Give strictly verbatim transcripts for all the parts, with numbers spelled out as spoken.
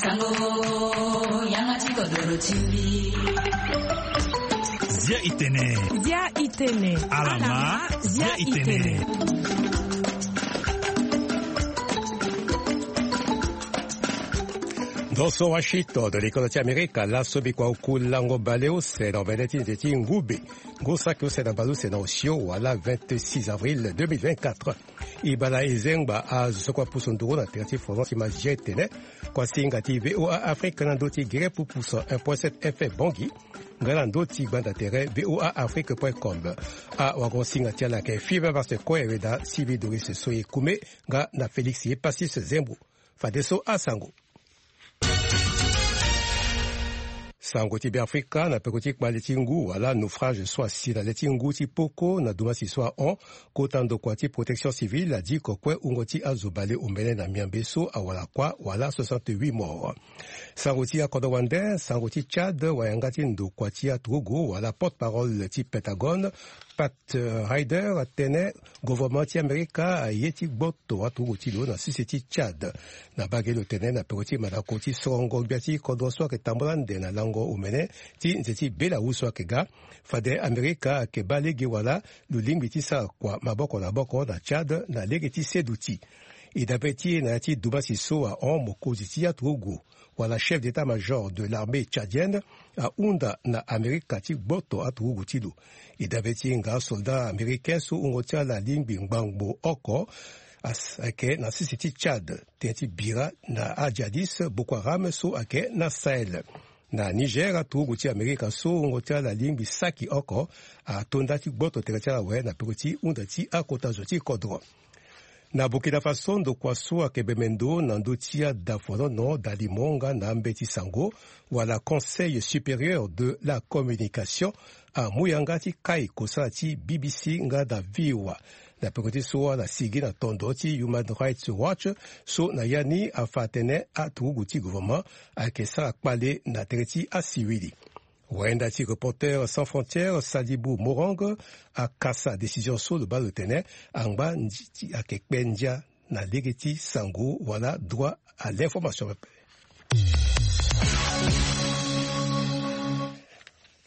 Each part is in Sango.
Sango, yanga ti kodoro ti mbi. Zia itene. Zia itene. Alama, zia itene. Ndo so Washington, de l'école ti Amerika, laso mbi kua oku lango baleuse na omene ti nze ti ngube. Ngu saki use na baleuse na osio wala vingt-six avril deux mille vingt-quatre. E baa na e zengba azo so kue apusu nduru na tere ti Faransi ti ma zia etene. Kuasinga ti VOA Afrique na ndö ti gere pupuso un point sept F M Bangui. Nga na ndö ti gbanda tere VOA Afrique point com. Awagosinga ti ala ayeke Fiver Master Koe Weda Sivi Doris Soye Kume nga na Félix Epasis Zembo. Fadeso asango. Sango ti Beafrika na peko ti kpale ti ngu wala naufrage so asi na le ti ngu ti poko na dumasi so ahon. Kota ndokua ti protection civile adiko kue wungo ti azo baleomene na miambe so awara kuâ wala soixante-huit morts. Sango ti akodro wande, sango ti Tchad, wayanga ti ndokua ti aturugu wala porte-parole ti Pentagone, Pat Ryder atene gouvernement ti Amerika aye ti gboto aturugu ti lo na sese ti Tchad. Na bage lo tene na peko ti mandako ti sorongo gbia ti kodro so ayeke tambula ande na lango omene ti nze ti Bélarus so ayeke ga. Fade Amerika ayeke baa lege wala lo lingbi ti sara kua maboko na maboko na Tchad na lege ti seduti. E dabe ti e na ya ti dumasi so ahon mokonzi ti aturugu wala chef d'état-major de l'armée tchadienne ahunda na Amerika ti gboto aturugu ti lo. E dabe ti e nga asoldat américain so wungo ti ala alingbi ngbangbo oko as- ayeke na sese ti Tchad, tënë ti bira na ajihadiste Boko Haram so ayeke na Sahel. Na Niger, aturugu ti Amerika so wungo ti ala alingbi saki oko ato nda ti gboto tere ti ala awe na peko ti hunda ti akota zo ti kodro. Na Burkina Faso, ndokua so ayeke bembe ndo na ndö ti adafuanono dalimo nga na ambeti sango wala Conseil supérieur de la communication amu yanga ti kai kosala ti B B C nga na V O A. Na peko ti so ala sigi na tondo ti Human Rights Watch so na ya ni afa atene aturugu ti gouvernement ayeke sara kpale na tere ti asiwili. Wayenda ti Reporters sans frontières, Sadibou Morang, akasa décision so lo baa lo tene angba ndi ti ayeke kpe ndia na lege ti sango wala droit à l'information pepe.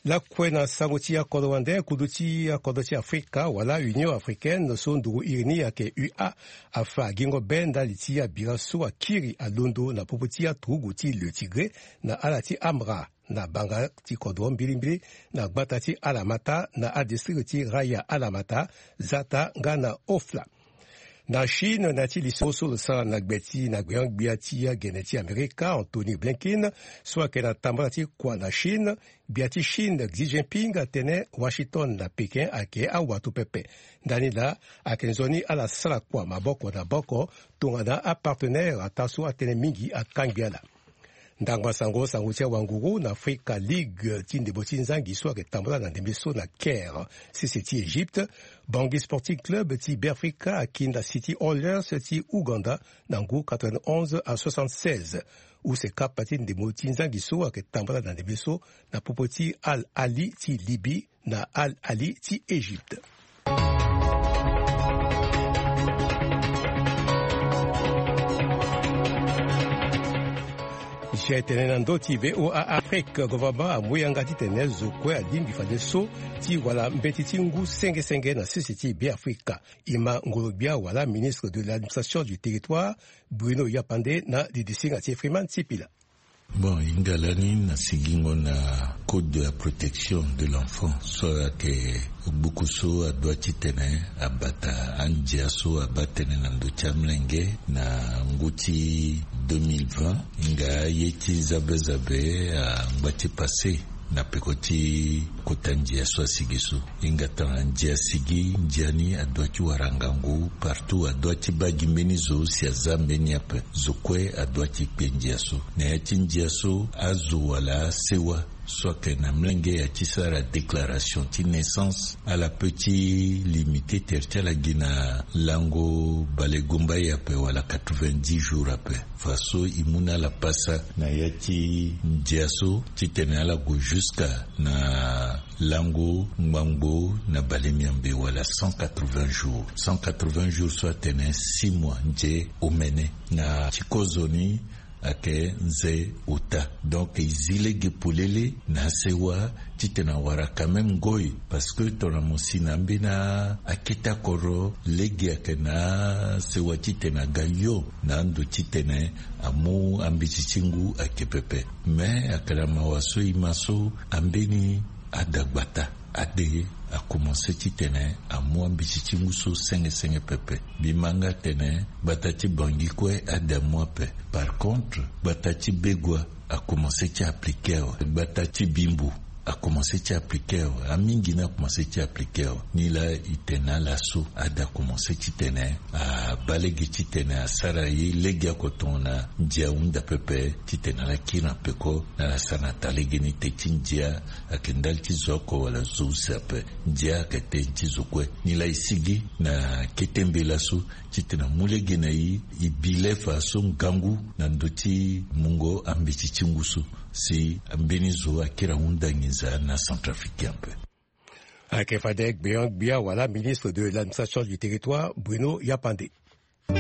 Lakue na sango ti akodro wande, kudu ti akodro ti Afrika wala Union africaine so nduru iri ni ayeke U A afa gingo be ndali ti abira so akiri alondo na popo ti aturugu ti Le Tigré na ala ti Amra na banga ti kodro mbilimbili na gbata ti Alamata na adistrict ti Raya Alamata, Zata nga na Ofla. Na Chine, na ya ti lisoro so lo sara na gbe ti na gbeon-gbia ti agene ti Amerika, Antony Blinken, so ayeke na tambala ti kua na Chine, gbia ti Chine Xi Jinping atene Washington na Pékin ayeke awato pepe. Ndani laa ayeke nzoni ala sara kua maboko na maboko tongana apartenaire ataa so atënë mingi akangbi ala. Ndangba sango, sango ti awanguru na Afrika, Ligue ti ndembo ti nzangi so ayeke tambula na ndembe so na Caire, sese ti Égypte. Bangui Sporting Club ti Beafrika akinda City Oilers ti Ouganda na ngu quatre-vingt-onze à soixante-seize. Use kapa ti ndembo ti nzangi so ayeke tambula na ndembe so na popo ti Al Ahly ti Libye na Al Ahly ti Égypte. Zia etene na ndö ti VOA Afrique, gouvernement amu yanga titene zo kue alingbi fadeso ti wara mbeti ti ngu senge senge na sese ti Beafrika. E ma ngolo-gbia wala ministre de l'administration du territoire, Bruno Yapande, na didisinga ti Freeman Sipila. Bon, hinga lani na sigingo na code de la protection de l'enfant so ayeke gbuku so adua titene abata andia so abaa tënë na ndö ti amolenge na ngu ti deux mille vingt. Hinga aye ti zabe zabe angba ti pase na peko ti kota ndia so asigi so. Hinga tongana ndia asigi, ndia ni adua ti wara ngangu partout, adua ti baa gi mbeni zo si aza mbeni ape. Zo kue adua ti kpe ndia so. Na ya ti ndia so, azo wala asewa so ayeke na molenge ya ti sara déclaration ti naissance, ala peut ti limite tere ti ala gi na lango bale gumbai ape wala quatre-vingt-dix jours ape. Faso e mu na ala pasa na ya ti ndia so titene ala gue jusqu'à na lango ngbangbo na bale miambe wala cent quatre-vingts jours. Cent quatre-vingts jours so atene six mois nze omene. Na ti kozoni, Ayeke nze ota. Donc e zi lege polele na asewa titene awara quand même ngoi. Parce que tongana mo si na ambeni akete akodro, lege ayeke na asewa titene aga yo na ando titene amu ambeti ti ngu ayeke pepe. Mais ayeke na mawa so e ma so ambeni ada gbata ade akomanse titene amu ambeti ti ngu so senge senge pepe. Mbi ma nga tene gbata ti Bangui kue ade amu ape. Par contre, gbata ti Begoua akomanse ti aplike awe. Gbata ti Bimbo akomanse ti aplike awe. Amingi ni akomanse ti aplike awe. Ni laa e tene na ala so ade akomanse titene abaa lege titene asara ye lege oko tongana ndia ahunda pepe titene ala kiri na peko na ala sara na taa lege ni te ti ndia ayeke ndali ti zo oko wala zo use ape. Ndia ayeke tënë ti zo kue. Ni laa e sigi na kete mbela so titene amu lege na e e bi le fa so ngangu na ndö ti mungo ambeti ti ngu so si mbeni zo akiri ahunda nginza na Centrafricain ape. Ayeke fade gbeon gbia wala ministre de l'administration du territoire, Bruno Yapande. E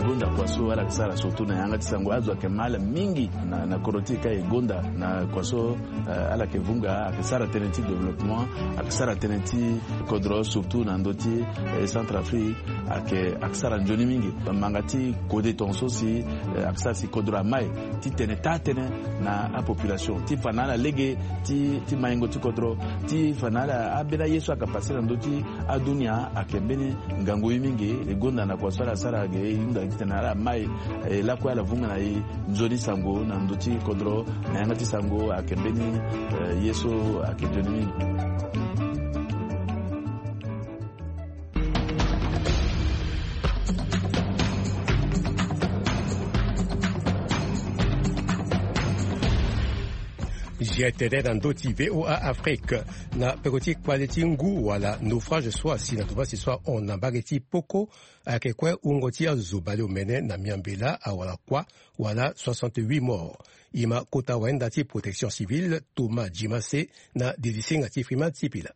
gonda kua so ala yeke sara surtout na yanga ti sango. Azo ayeke ma ala mingi na, na kodro ti e ka e gonda na kua so, eh, ala yeke vunga, ayeke sara tënë ti développement, ayeke sara tënë ti kodro surtout na ndö ti, eh, Centrafrique, ayeke, ayeke sara nzoni mingi. Manga ti kode tongaso si, eh, ayeke sara si kodro amai titene taa tënë na apopulation ti fa na ala lege ti, ti maingo ti kodro, ti fa na ala ambeni aye so ayeke pase na ndö ti adunia ayeke mbeni ngangu ye mingi. E gonda na kua so ala sara ge e hunda titene ala mai, eh, lakue ala vunga na e nzoni sango na ndö ti kodro na yanga ti sango ayeke mbeni, eh, ye so ayeke nzoni mingi. Zia tene na ndö ti V O A Afrique na peko ti kpale ti ngu wala naufrage so asi na tovasi so ahon na mbage ti poko, ayeke kue wungo ti azo baleomene na miambela awara kuâ wala soixante-huit morts. E ma kota wayenda ti protection civile Thomas Djimase na delisinga ti Freeman Sipila.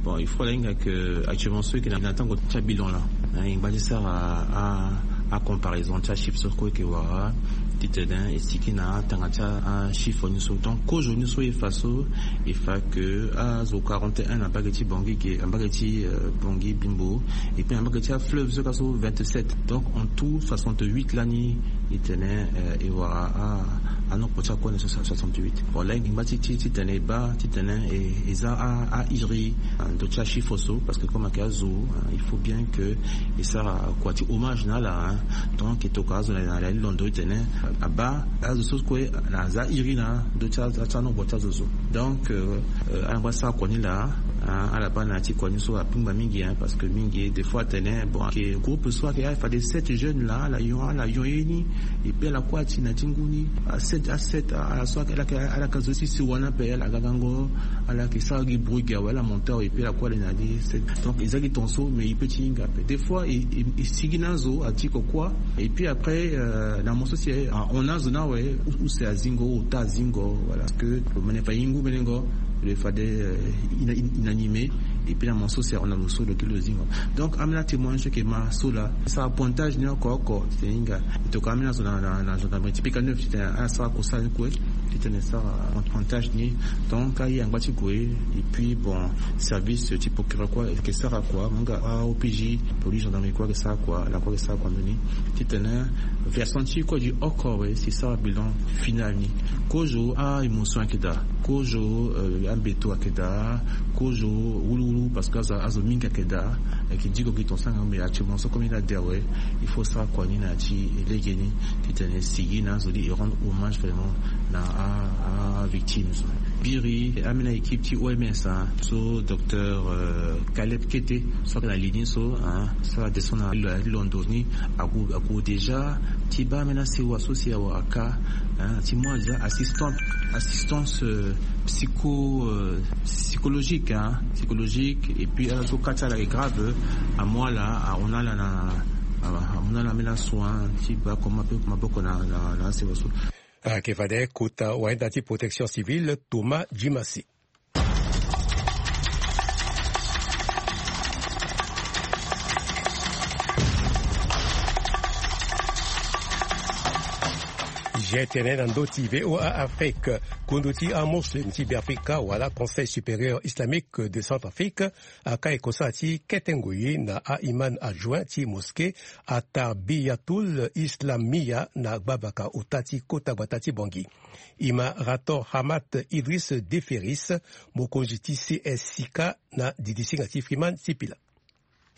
Bon, il faut la hinga que actuellement ceux qui na tango ti abilan la, hein, e ngba ti sara a, a comparaison ti achiffre so kue e yeke wara titene e sigi na atanga ti achiffre ni so. Donc kozo ni so e fa so e fa que azo quarante et un na mbage ti Bangui ge, na mbage ti, euh, Bangui Bimbo, et puis na mbage ti afleuve so ka so vingt-sept. Donc en tout soixante-huit lani e tene, euh, e wara a, a nombre ti akua ni so soixante-huit. Bon la e ngba ti, ti, titene e baa titene e, e za a, a iri na ndö ti achiffre so, parce que comme ayeke azo, hein, il faut bien que e sara kua ti hommage na ala, hein. Donc e tokua azo na, na, na londo titene abaa azo so kue na aza iri na ndö ti aza ti anongo ti azo so. Donc, euh, euh, ala ngba ti sara kua ni laa, hein, ala baa na ya ti kua ni so apingba mingi, hein, parce que mingi des fois atene bon ayeke groupe so ayeke, ah, fade sept jeunes laa ala yon, ala yon ye ni. Et puis ala kue ati na ti ngu ni, a sept, a sept, ala so ala yeke, ala yeke azo ti sewa ni ape, ala gangango, ala yeke sara gi bruit gi awe, ala monté awe, et puis ala kue ala na ni. Donc e za gi tongaso, mais e peut ti hinga ape. Des fois e, e, e sigi na azo ati kokua. Et puis après, euh, na mo so si, eh, ahon na azo ni awe, use azingo, ota azingo, voilà. Parce que lo mene fa e ngu melengo, lo fade, euh, ina-, in-, inanimé. Et puis na mo so si ahon na lo so lo kiri lo zingo. Donc ambeni atémoignage so e yeke ma so laa, e sara pointage ni oko oko. Titene e hinga e tokua ambeni azo na, na, na gendarmerie ti Pika Neuf titene asara kosara ni kue, titene e sara pon-, pointage ni. Donc aye angba ti gue. Et puis bon, service ti procureur kue ayeke sara kua, mo hinga a O P J, police, gendarmerie kue ayeke sara kua, ala kue ayeke sara kua mbeni. Titene version ti e kue e di oko awe si e sara bilan final ni. Kozo a-émotion ayeke daa, kozo, euh, ambeto ayeke daa, kozo wuluwulu, parce que azo, azo mingi ayeke daa. Ayeke diko gi tongaso nga, mais actuellement so comme e lade awe, il faut sara kua ni na ya ti legeni titene e sigi na azo ni, e rendre hommage vraiment na a, a victime so. Biri ambeni équipe ti O M S, hein, so docteur, euh, Caleb Kete so ayeke na li ni so, hein, so ala descend na lo-, londo ni, ague, ague déjà ti baa ambeni asewa so si awara ka, hein, ti mu déjà assistant, assistance, euh, psycho, euh, psychologique, hein, psychologique, et puis ala so ka ti ala ayeke grave, amu ala, ahon na ala na, amu na ala ambeni asoin ti baa comment ape maboko na, na, na asewa so. Ayeke fade kota wayenda ti protection civile Thomas Djimase. G T N na ndö ti V O A Afrique. Kundu ti amuslim ti Beafrika wala Conseil supérieur islamique de Centrafrique akai kosala ti kete ngoi na a-imam adjoint ti mosquée Atarbiyatul Islamia na gbavaka ota ti kota gbata ti Bangui. Ima Rator Hamat Idriss Deferis, mokonzi ti C S C K, na didisinga ti Freeman Sipila.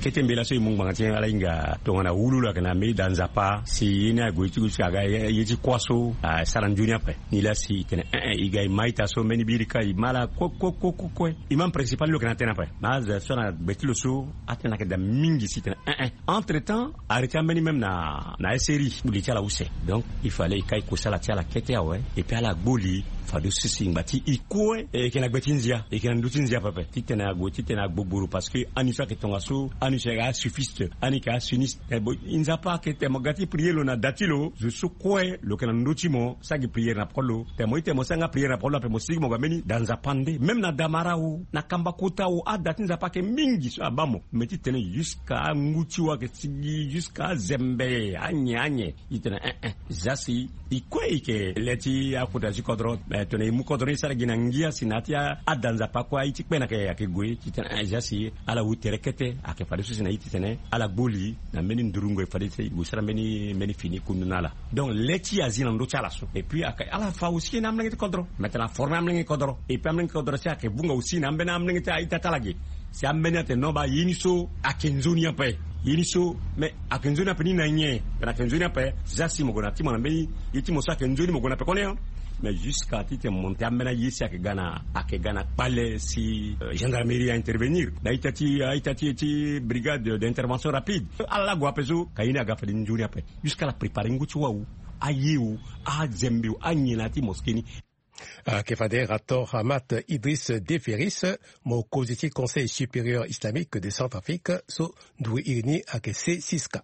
Kete mbela so e mu ngbanga ti ala hinga tongana wululu ayeke na mbeni da nzapa si ye ni ague ti gue ti aga ye ti kuâ so asara nzoni ape. Nilaa si e tene eh eh e ga e ma ita so mbeni birika e ma ala kue kue kue kue. Imam principal ni lo yeke na tënë ape. Ma azo so na gbe ti lo so atënë ayeke daa mingi si e tene eh eh. Entre temps arrêté ambeni même na na S R I. Li ti ala use. Donc il fallait e kai kosala ti ala kete awe. Et puis ala gbo li fade so si ngba ti e kue e yeke na gbe ti nzia e yeke na ndö ti nzia pepe titene ague titene agbogboro parce que ani so ayeke tongaso ani so ayeke asuffiste ani yeke asuniste. E bon e nzapa ayeke tene mo ga ti prier lo na da ti lo zo so kue lo yeke na ndö ti mo sara gi priere na poko ti lo. Tene mo ti tene mo sara nga priere na poko ti lo ape mo sigi mo ga mbeni da nzapa nde même na damara o na kamba kota o ada ti nzapa ayeke mingi so abaa mo. Mais titene jusqu'à angu ti o ayeke sigi jusqu'à azembe anyen anyen. E tene eh eh. Za si e kue e yeke le ti akota ti kodro. Mais tongana e mu kodro ni e sara gi na ngia si na ya ti ada nzapa kue aye ti kpene ayeke ayeke gue titene eh za si ala hu tere kete ayeke fadeso si na ye titene ala gbo li na mbeni ndurungo e fadeso e gue sara mbeni mbeni fini kundu na ala. Donc le ti e azi na ndö ti ala so et puis ayeke ala fa aussi na amolenge ti kodro. Maintenant aforme amolenge ti kodro et puis amolenge ti kodro si ayeke vunga aussi na ambeni amolenge ti a-ita ti ala ge. Si ambeni atene non baa ye ni so ayeke nzoni ape. Ye ni so mais ayeke nzoni ape ni na nyen? Tena ayeke nzoni ape. Za si mo gue na ti mo na mbeni ye ti mo so ayeke nzoni mo gue na pekoni. Mais jusqu'à titene monte ambeni aye si ayeke ga na ayeke ga na kpale si gendarmerie a intervenir na ita ti a ita ti ti brigade d'intervention rapide. Ala la gue ape so ka ye ni aga fade nzoni ape. Jusqu'à ala prépare ngu ti wawu aye o azembe o anyen na ya ti mosquée ni. Ayeke fade Rator Hamat Idriss Deferis, mokonzi ti Conseil supérieur islamique de Centrafrique so nduru iri ni ayeke C six K.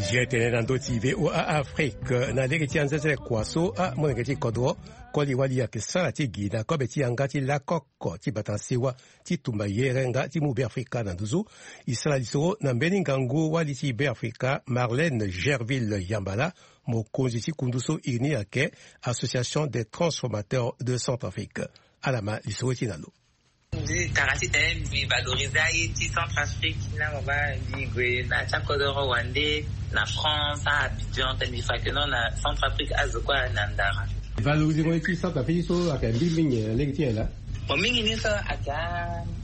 G T N na ndö ti V O A Afrique na lege ti anzenzele kua so amolenge ti kodro koli wali ayeke sara ti gi na kobe ti yanga ti lakoko ti bata na sewa ti tumba yere nga ti mu Beafrika na nduzu. E sara lisoro na mbeni ngangu wali ti Beafrika Marlène Gerville Yambala, mokonzi ti kundu so iri ni ayeke Association des transformateurs de Centrafrique. Ala ma lisoro ti na lo. Mbi tara titene mbi valoriser aye ti Centrafrique na mo baa mbi gue na ya ti akodoro wande na France a Abidjan tene mbi fa ke non na Centrafrique azo kue na ndara. Valoriser mo ye ti Centrafrique so ayeke mbi mingi na lege ti nyen laa? Bon mingi ni so ayeke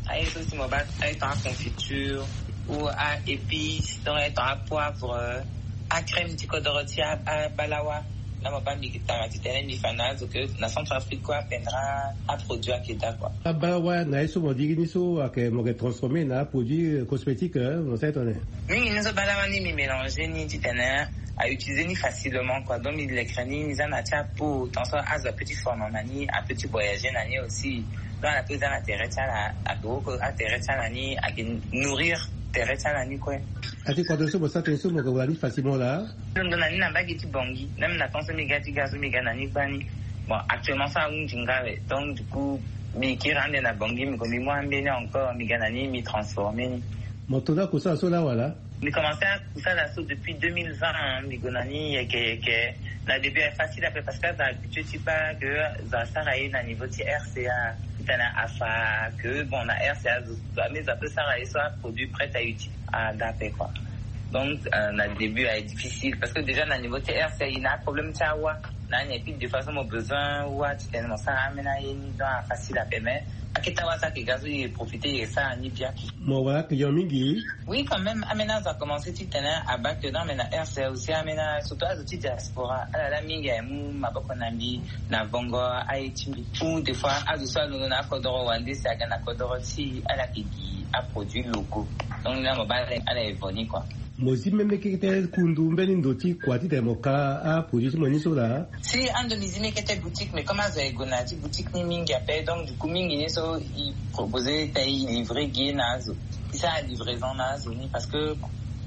aye so si mo baa aye ton aconfiture ou a épice donc aye ton apoivre, acrème ti kodoro ti abalawa. Na mo baa mbi tara titene mbi fa na azo ke na Centrafrique kue apendra aproduit ayeke daa kua. Abalawa na ye so mo diri ni so ayeke mo yeke transformer na aproduit cosmétique mo sara tone? Mingi ni so balawa ni mbi mélanger ni titene a utiliser ni facilement kua donc mbi lekere ni mbi za na ya ti apo tant so azo ape ti forme na ni ape ti voyager na ni aussi. Donc ala pe za na tere ti ala ayeke woko atere ti ala ni ayeke nourrir tere ti ala ni kue. Ati kua tene so mo sara tene so mo yeke wara ni facilement laa? Ndo na ni na mbage ti Bangui même na temps so mbi ga ti ga so mbi ga na ni gbani. Bon actuellement so ahunzi nga awe donc du coup mbi kiri ande na Bangui mbi ko mbi mu ambeni encore mbi ga na ni mbi transformer ni. Mo to na kosala so laa wala? Mbi commencer akosala so depuis deux mille vingt mbi gue na ni yeke yeke. Na début ayeke facile ape parce que azo habitué ti baa ke azo asara ye na niveau ti R C A titene afa ke bon na R C A azo amezo ape sara ye so aproduit prête à utiliser ada ape kua. Donc na début ayeke difficile parce que déjà na niveau ti R C A e na aproblème ti awa. Na ni et puis de façon mo besoin wa titene mo sara amena ye ni donc afacile ape mais aketa wa so ayeke ga so e profiter e sara ni bien. Mo wara client mingi? Oui quand même amena azo akomense titene abaa ke non mais na R C A aussi amena surtout azo ti diaspora ala la mingi aye mu maboko na mbi na vongo aye ti mbi ou des fois azo so alondo na akodoro wande si aga na kodoro ti ala yeke gi aproduit locaux. Donc ni la mo baa ala evo ni kua. Mo zi mbeni kete kundu mbeni ndo ti kua titene mo ka aproduit ti mo ni so laa? Si ando mbi zi mbeni kete boutique mais comme azo aye gue na ya ti boutique ni mingi ape donc du coup mingi ni so e proposer titene e livrer gi na azo. E sara livraison na azo ni parce que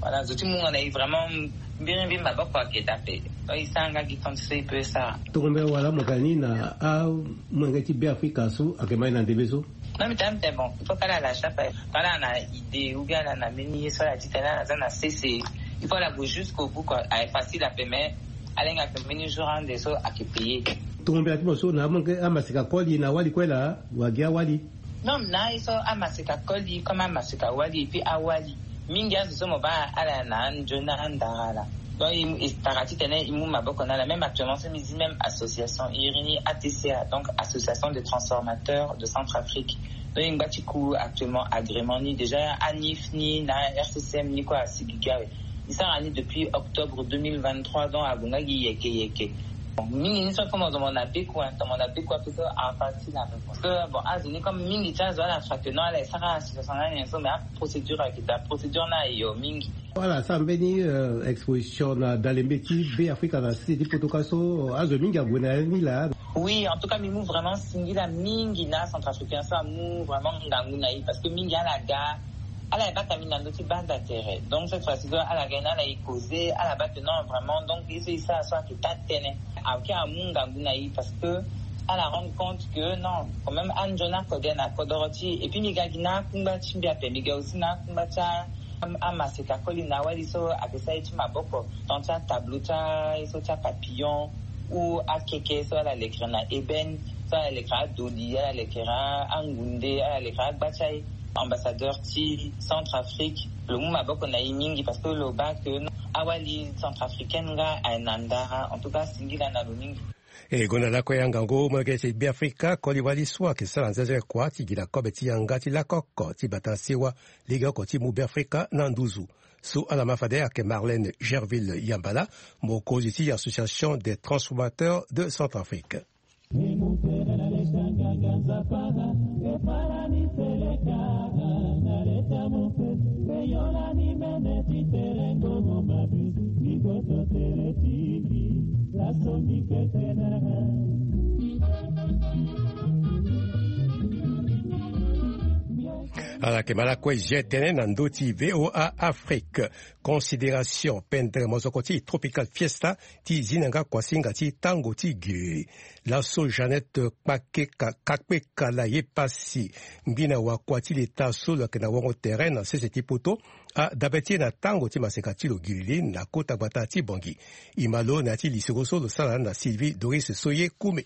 Voilà, zo ti mu nga na e vraiment. Mbiri mbi maboko ayeke daa ape. Donc e sara nga gi compte so e peut sara. Tongombe wala mo ka ni na amolenge ti Beafrika so ayeke ma e na ndembe so. Non, mbi tene mbi tene bon, il faut kala ala chape, kala na idée ou bien ala na mbeni ye so ala ti tene ala za na sese. Il faut ala gue jusqu'au bout quoi. Aye facile ape mais ala hinga ake mbeni jour ande so ake payé. Tongombe ati mo so na amolenge amaseka koli na awali kue laa, wa gi awali. Non, na ye so amaseka koli comme amaseka wali et puis awali. Mingi azo so mo baa ala na anzoni na andara ala. Donc e tara titene e mu maboko na ala. Même actuellement so mbi zi même association iri ni A T C A, donc association de transformateurs de Centrafrique. Donc e ngba ti ku actuellement agrément ni déjà, anif ni na R C C M ni kue asi gi gi awe. E sara ni depuis octobre deux mille vingt-trois, donc ague nga gi yeke yeke. Bon, mingi ni so comme ozo mo na beku, hein, mo na beku ape so a facile ape. Parce que bon, azo ni comme mingi ti azo ala fa que non ala e sara association na nyen so, mais aprocédure ayeke daa, procédure ni ayo mingi. Ala sara mbeni exposition na dalembe ti Beafrika na sese ti poto ka so, azo mingi ague na ya ni laa. Oui, en tout cas mbi mu vraiment singila mingi na Centrafricain so amu vraiment ngangu na e, parce que mingi ala ga ala e bata mbi na ndö ti banza tere. Donc cette fois-ci so ala ga ni ala e causer, ala bata non vraiment, donc ye so e sara so ayeke taa tënë. Ayeke amu ngangu na e parce que ala rendre compte que non, quand même anzoni akode na kodoro ti e. Et puis mbi ga gi na akungba ti mbi ape, mbi ga aussi na akungba ti a amaseka koli na awali so ayeke sara ye ti maboko, tant ti atableau ti aye so ti apapillon ou akeke so ala lekere na ébène, so ala lekere adoli, ala lekere angunde, ala lekere agba ti aye. Ambassadeur ti Centrafrique, lo mu maboko na e mingi parce que lo baa que awali centrafricaine nga aye na ndara. En tout cas singila na lo mingi. E gonda lakue ya ngangu, molenge ti Beafrika koli wali so ayeke sara nzenze kua ti gi na kobe ti yanga ti lako oko ti bata sewa lege oko ti mu Beafrika na nduzu. So ala ma fade ayeke Marlène Gerville Yambala, mokonzi ti Association des transformateurs de Centrafrique. Ala yeke ma lakue zia tënë na ndö ti V O A Afrique. Considération pendere mozoko ti Tropical Fiesta ti zi na nga kuasinga ti tango ti giri. Laso Jeannette Kpakeka, Kakpeka na ye pasi, ngbina wakua ti leta so lo yeke na wango tere na sese ti poto, adabe ti e na tango ti maseka ti lo giri li na kota gbata ti Bangui. E ma lo na ya ti lisoro so lo sara na Sylvie Doris Soye Kume.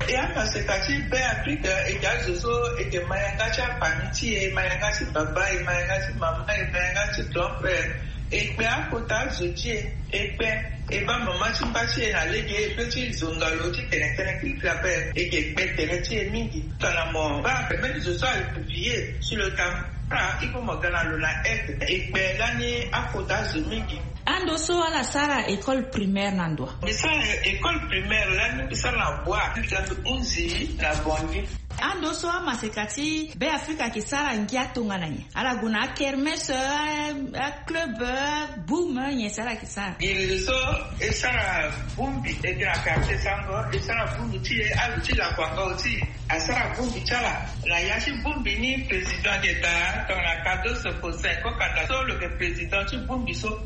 E amaseka ti Beafrika e yeke azo so e yeke ma yanga ti afamille ti e, e ma yanga ti baba, e ma yanga ti mama, e ma yanga ti grand frère. E kpe akota azo ti e, e kpe, e baa mama ti mba ti e na lege, e pe ti zonga lo ti tene tënë kiri kiri ape. E yeke kpe tere ti e mingi. Tongana mo baa ape mbeni zo so aye publié sur le tambra, il faut mo ga na lo na aide. E kpe lani akota azo mingi. Ando so ala sara école primaire na ndo wa? Mbi sara école primaire lani mbi sara na Bua, mbi ga mbi hunzi na Bangui. Ando so amaseka ti Beafrika ayeke sara ngia tongana nyen? Ala gue na akermesse, a, aclub, a boum, nyen so ala yeke sara? Giri so e sara bongbi, e yeke na quartier sango, e sara bongbi ti e, azo ti lakuanga aussi asara bongbi ti ala. Na ya ti bongbi ni président ayeke daa tongana Cardozo Faustin Kokanda so lo yeke président ti bongbi so.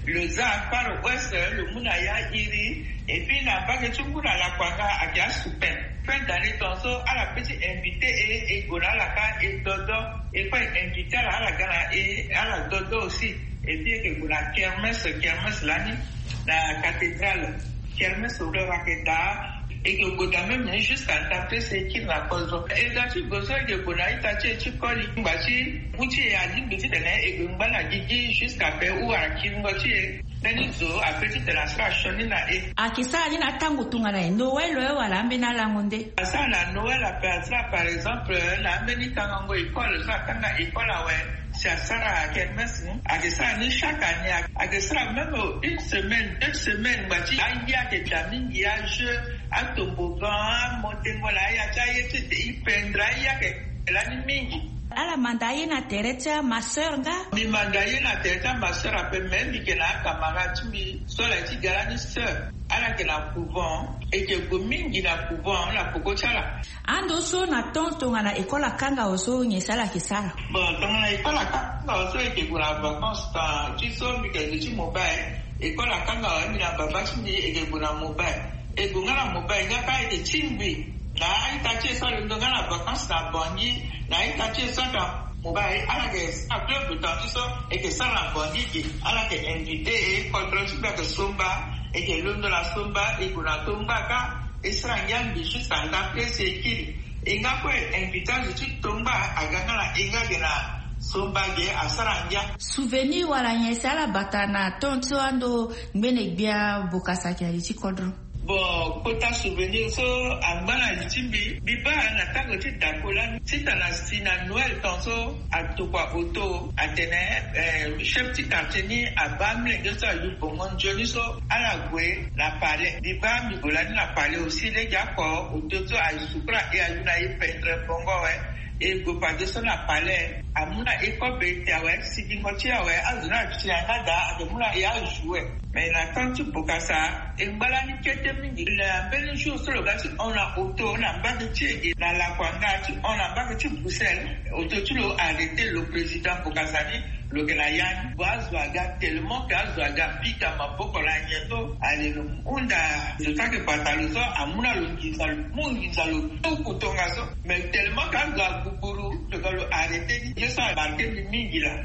Lo za Far West, lo mu na ya iri, et puis na mbage ti ngu na lakuanga ayeke asupen. Fin d'année tongaso ala pe ti invité e, e gue na ala ka e dodo, e kue e invité ala, ala ga na e, ala dodo aussi. Et puis e yeke gue na kermesse, kermesse lani na cathédrale. Kermesse lo yeke daa, e yeke gue daa même ni jusqu'à ndapre so e kiri na kozo. E ga ti gue so e yeke gue na ita ti e ti koli, ngba ti ngu ti e alingbi titene e gue ngba na gigi jusqu'à pe ou akingo ti e. Mbeni zo ape titene asara sioni na e. Ayeke sara ni na atango tongana nyen? Noël, eh, wala ambeni alango nde? Asara na Noël ape, asara par exemple na ambeni tangango école so atanga école awe. Si asara kermesse, hmm? Ayeke sara ni chaque année. Ayeke sara même une semaine, deux semaines, ngba ti aye ayeke daa mingi, ajeu, atoboggan, amontengo na aya ti aye ti e, e pendre aye ayeke lani mingi. Ala manda ye na tere ti amasseur nga. Mi manda ye na tere ti amasseur ape, me mi yeke na acamarade ti mbi so ala ye ti ga lani sœur. Ala yeke na couvent, e yeke gue mingi na couvent na peko ti ala. Ando so na temps tongana école akanga awe so nyen si ala yeke sara? Bon, tongana école akanga awe so e yeke gue na vacances, temps ti so mi yeke gue ti mobile. École akanga awe, mbi na baba ti mbi e yeke gue na mobile. E gue nga na mobile nga kâ e yeke tingbi na a-ita ti e so alondo nga na vacances na Bangui, na a-ita ti e so ata mobile. Ala yeke sara club, temps ti so e yeke sara na Bangui ge. Ala yeke invité e, kodro ti mbi ayeke Somba. E yeke londo na Somba, e gue na Tongba kâ. E sara ngia mbi juste anda place e kiri. E nga kue invité azo ti Tongba aga nga na e nga ge na Somba ge, asara ngia. Souvenir wala nyen si ala bata na temps so ando ngbene gbia Bokassa ayeke na li ti kodro? Bon, kota souvenir so angba na li ti mbi, mbi baa na tango ti dako lani ti tana si na Noël temps so atokua auto atene, eh, chef ti quartier ni abaa amolenge so ayu bongo nzoni so ala gue na palais. Mbi baa mbi gue lani na palais aussi, lege oko auto so asukula e ayu na e pendre bongo awe. E gue pade so na palais, amu na e kobe ti awe, sigingo ti e awe, azo ni asi na nga daa, ake mu na e ajoue. Mais na temps ti Bokassa, e ngba lani kete mingi. Na mbeni jour so lo ga ti hon na auto na mbage ti e, na lakua nga ti hon na mbage ti Bruxelles, auto ti lo arrêté lo président Bokassa ni, lo yeke na ya ni. Bon, azo aga tellement que azo aga pika maboko na nyen so, ale lo hunda zo ti ayeke bata lo so, amu na lo nginza, lo mu nginza lo tuku tongaso. Mais tellement que azo agugburu, lo ga lo arrêté ni. Ye so amarqué mbi mingi laa.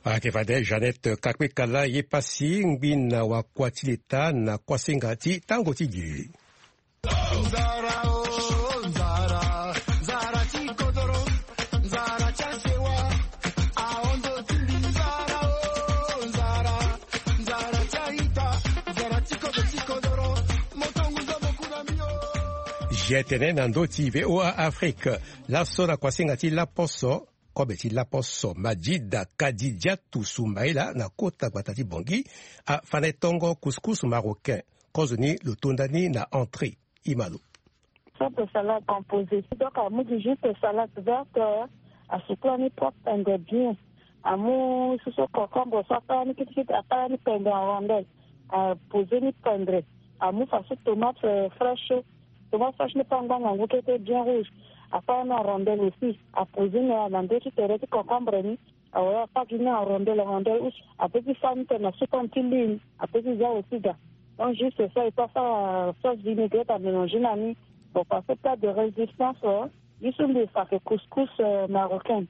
Ayeke fade Jeannette Kakpekala ye pasi ngbina wakua ti leta na kuasinga ti tango ti gi. G T N na ndö ti V O A Afrique. Laso na kuasinga ti laposo, kobe ti laposo Majida Kadidiatou Soumaïla na kota gbata ti Bangui afa na e tongo couscous marocain. Kozoni lo to ndani na entrée. Imalo. Sorte salade composée. Donc, amu gi juste salade verte, asukula ni propre pendre bien. Amu susu concombre so, apara ni kitikiti, apara ni pendre en rondelle. Apose ni pendre. Amu faso tomate, euh, fraîche. Tomate fraîche ni pe angba ngangu kete bien rouge. Apara ni en rondelle aussi. Apose ni na ndö ti tere ti concombre ni. Awe, apa gi ni en rondelle, en rondelle use. Ape ti fa ni tene na sukon ti lune. Ape ti za aussi daa. Donc juste ça, il faut faire sauce vinaigrette à mélanger na ni. Bon, parce que plat de résistance, euh, ye so mbi fa ayeke couscous, euh, marocain.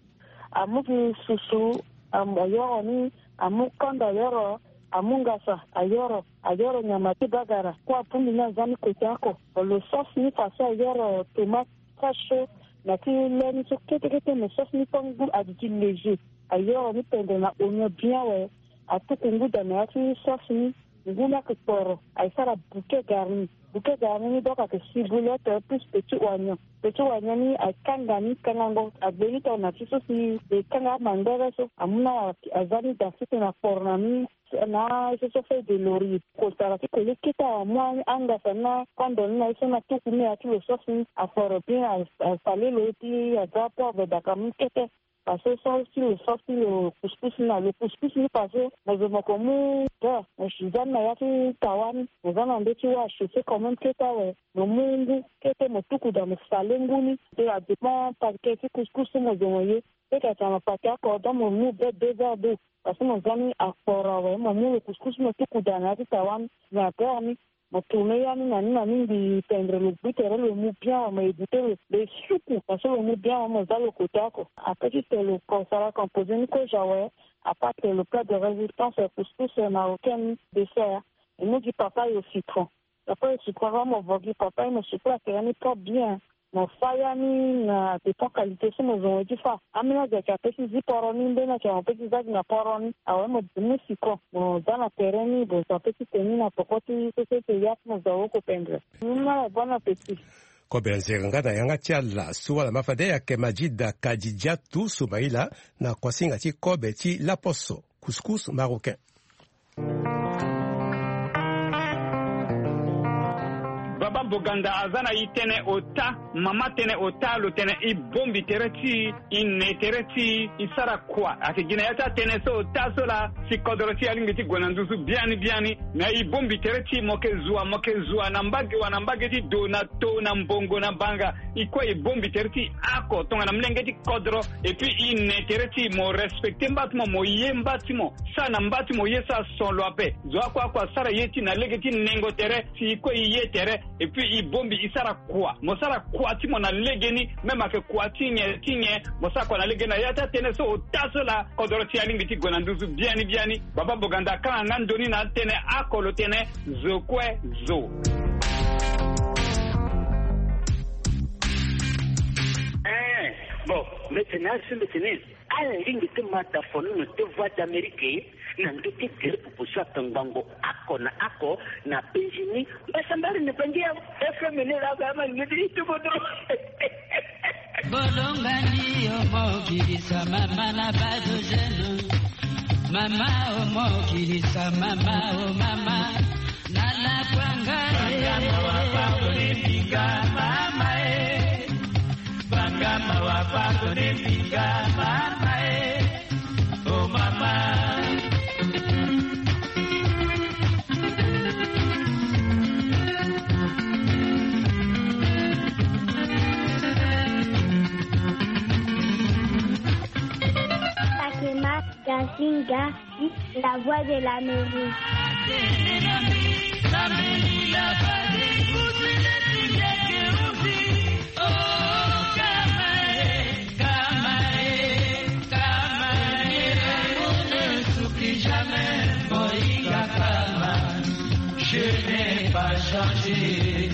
Amu gi susu, am-, ayoro ni, amu kanda ayoro, amu ngasa ayoro, ayoro nyama ti bagara. Kua pumbi ni aza ni kote oko. Bon, lo sauce ni faso ayoro tomate fraîche so, na ti le ni so kete kete, mais sauce ni pe ngu, aduti léger. Ayoro ni pendre na oignon bien awe. Atuku ngu daa na ya ti sauce ni. Ngu ni ayeke kporo, aye sara bouquet garni. Bouquet garni ni donc ayeke ciboulette plus petit oignon. Petit oignon ni aye kanga ni, kangango agbe ni tongana ti so si e kanga amangbere so. Amu na aza ni daa sese na kporo na ni. Na ye so so feuille de laurier. Kosara ti koli kete amu angasa ni na kondo ni na ye so na tuku ni ya ti lo sauce ni. Akporo bien, a, asale lo ye ti aza poivre daa ka mu kete. Parce que sauce ti lo, sauce ti lo couscous ni na lo couscous ni parce que mo zo mo ko mu beurre, mo si za ni na ya ti tawa ni, mo za na ndö ti wâ, achauffé quand même kete awe. Mo mu ngu kete mo tuku daa mo sale ngu ni. Te adépend paquet ti couscous so mo zo mo ye. Peut-être atene paquet oko donc mo mu be deux verres d'eau. Parce que mo za ni akporo awe, mo mu lo couscous mo tuku daa na ya ti tawa ni na beurre ni. Mo tourner ya ni na ni na ni mbi pendre lo gbu tere lo mu bien awe, mo éviter lo, lo suku parce que lo mu bien awe, mo za lo kote oko. Après ti tene lo ko sara composer ni kozo awe, à part tene lo plat de résistance, couscous marocain ni, dessert, e mu gi papaye au citron. Papaye au citron, avant mo vo gi papaye, mo sukula tere ni propre bien. Mo fa ya ni na dépend qualité so mo zo mo ye ti fa. Ambeni azo ayeke ape ti zi poro ni, mbeni ayeke ape ti za gi na poro ni. Awe mo mu citron, mo za na tere ni, mo zo ape ti tene ni na poko ti so so ti ya ti mo zo awe oko pendre. Ni na bon appétit. Kobe nzere nga na yanga ti ala so ala ma fade ayeke Majida Kadidiatou Soumaïla na kuasinga ti kobe ti laposo, couscous marocain. Boganda aza na e tënë ota, mama tënë ota lo tene e bongbi tere ti e, e ne tere ti e, e sara kua. Ayeke gi na ya ti atënë so ota so laa si kodoro ti e alingbi ti gue na nduzu biani biani. Me e bongbi tere ti e, mo yeke zua, mo yeke zua na mbage wa na mbage ti do, na to, na mbongo, na banga. E kue e bongbi tere ti e oko tongana molenge ti kodro. Et puis e ne tere ti e, mo respecte mba ti mo, mo ye mba ti mo, sara na mba ti mo ye so ason lo ape. Zo oko oko asara ye ti e na lege ti nengo tere, si e kue e ye tere. Et puis e bongbi e sara kua. Mo sara kua ti mo na legeni, même ayeke kua ti nyen ti nyen, mo sara kua na legeni. Na ya ti atënë so ota so laa kodoro ti e alingbi ti gue na nduzu biani biani. Baba Boganda akanga nga ndoni na atënë oko lo tene zo kue zo. Eh, bon, mbe tene asi mbe tene. Ala lingbi ti ma dafono na te Voix d'Amérique na ndö ti gere pupu so atongbango oko na oko na Benjini. Mbasambala na bangi ya F M ni laa ba ma lingbi ti tubo dro. Bolongani omokilisa mama na bado jeune. Mama omokilisa mama o mama. Nana kwanga e. Banga mawa pardonne mbinga mama e. Banga mawa pardonne mbinga mama e. Oh mama. Fatima Gasinga, la voix de l'Amérique. Je n'ai pas changé.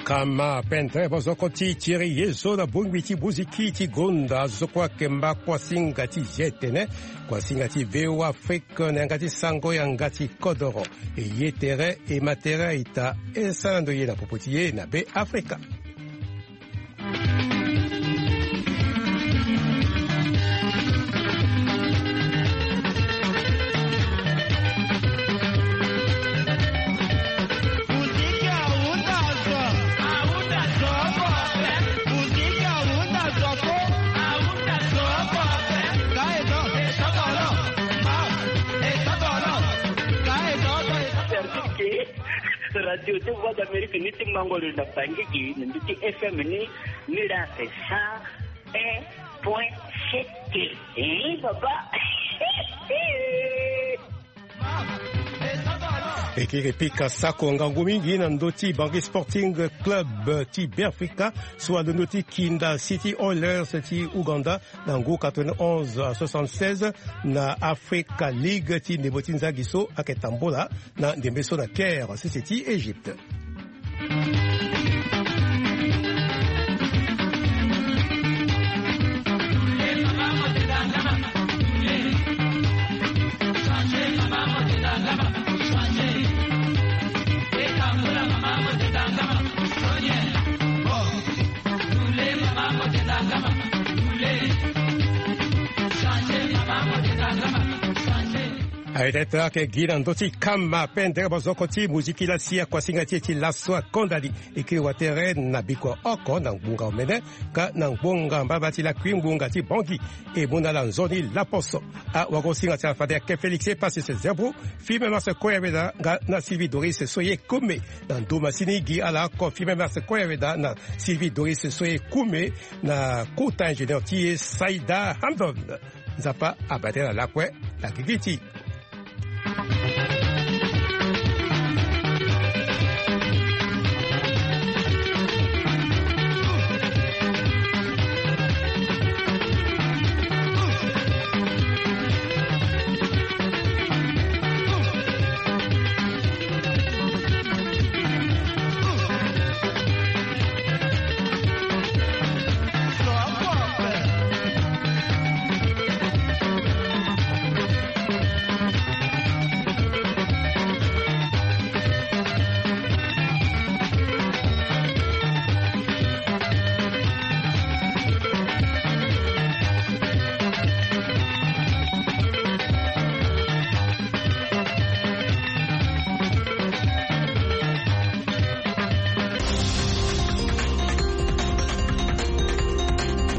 Kama pendere bozoko ti tiri ye so na bongbi ti muziki ti gonda zo kue akemba kuasinga ti zi etene, kuasinga ti V O A Afrique na yanga ti sango yanga ti kodoro. E ye tere e ma tere aita e sara ndo ye na popo ti ye na Be Afrika. Radio ti Voix d'Amérique ni ti mango lo na Bangui na ndö ti F M ni, ni la c'est cent un point sept. Eh, papa. E kiri pika sako ngangu mingi na ndö ti Bangui Sporting Club ti Beafrika so alondo ti Kinda City Oilers ti Ouganda na ngu quatre-vingt-onze à soixante-seize na Africa League ti ndembo ti nzagi so ayeke tambula na ndembe so na Caire, sese ti Égypte. Aye tene tene ayeke gi na ndö ti kama pendere bozoko ti muziki lasi akuasinga ti e ti laso akondani. E kiri watere na bikua oko na ngbonga omene ka na ngbonga mbaba ti lakui ngbonga ti Bangui. E mu na ala nzoni laposo. Awagosinga ti ala fade ayeke Félix Epasis Zebro, Firmin Mars Koyabeda nga na Sylvie Doris Soye Koume. Na ndö masini gi ala oko Firmin Mars Koyabeda na Sylvie Doris Soye Koume na kota ingénieur ti e Saïda Hamdon. Nzapa abate na lakue na gigi ti